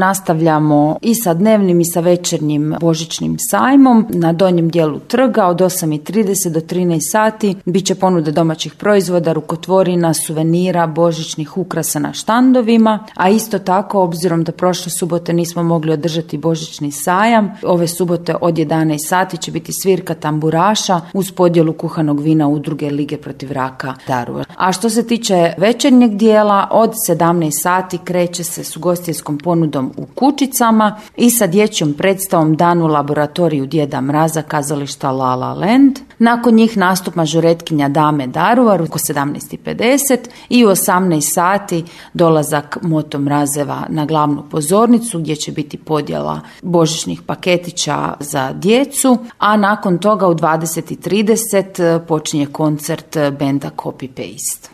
nastavljamo i sa dnevnim i sa večernjim božićnim sajmom na donjem dijelu trga od 8:30 do 13 sati. Biće ponuda domaćih proizvoda, rukotvorina, suvenira, božićnih ukrasa na štandovima, a isto tako, obzirom da prošle subote nismo mogli održati božićni sajam, ove subote od 11 sati će biti svirka tamburaša uz podjelu kuhanog vina Udruge Lige protiv raka Daruvar. A što se tiče večernjeg dijela, od 17 sati kreće se s ugostiteljskom ponudom u kućicama i sa dječjom predstavom Dan u laboratoriju Djeda Mraza kazališta La La Land. Nakon njih nastup mažoretkinja Dame Daruvar oko 17:50 i u 18 sati dolazak Moto Mrazeva na glavnu pozornicu gdje će biti podjela božićnih paketića za djecu, a nakon toga u 20:30 počinje koncert benda Copy Paste.